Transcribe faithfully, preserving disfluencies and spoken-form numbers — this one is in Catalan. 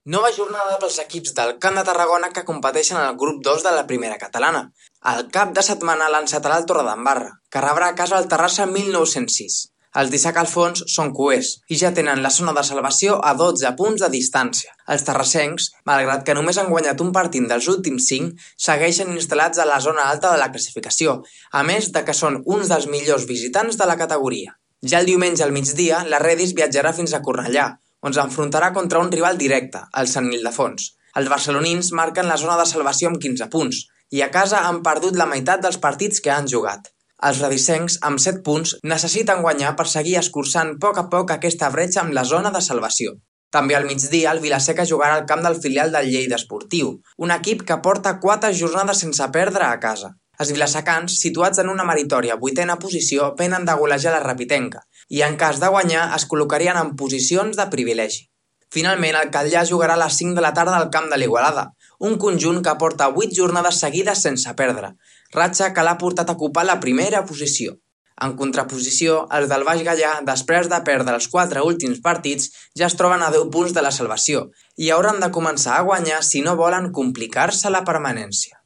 Nova jornada pels equips del Camp de Tarragona que competeixen en el grup dos de la primera catalana. El cap de setmana l'encetarà el Torredembarra, que rebrà a casa el Terrassa mil nou-cents sis. Els d'Isaac Alfons són cuers i ja tenen la zona de salvació a dotze punts de distància. Els terrassencs, malgrat que només han guanyat un partit dels últims cinc, segueixen instal·lats a la zona alta de la classificació, a més de que són uns dels millors visitants de la categoria. Ja el diumenge al migdia, la Redis viatjarà fins a Cornellà, on s'enfrontarà contra un rival directe, el Sant Ildefons. Els barcelonins marquen la zona de salvació amb quinze punts i a casa han perdut la meitat dels partits que han jugat. Els redissencs, amb set punts, necessiten guanyar per seguir escurçant a poc a poc aquesta bretxa amb la zona de salvació. També al migdia el Vilaseca jugarà al camp del filial del Lleida Esportiu, un equip que porta quatre jornades sense perdre a casa. Els vilasecans, situats en una meritòria vuitena posició, venen de golejar la Rapitenca i en cas de guanyar es col·locarien en posicions de privilegi. Finalment, el Catllà jugarà a les cinc de la tarda al camp de l'Igualada, un conjunt que porta vuit jornades seguides sense perdre, ratxa que l'ha portat a ocupar la primera posició. En contraposició, els del Baix Gaià, després de perdre els quatre últims partits, ja es troben a deu punts de la salvació i hauran de començar a guanyar si no volen complicar-se la permanència.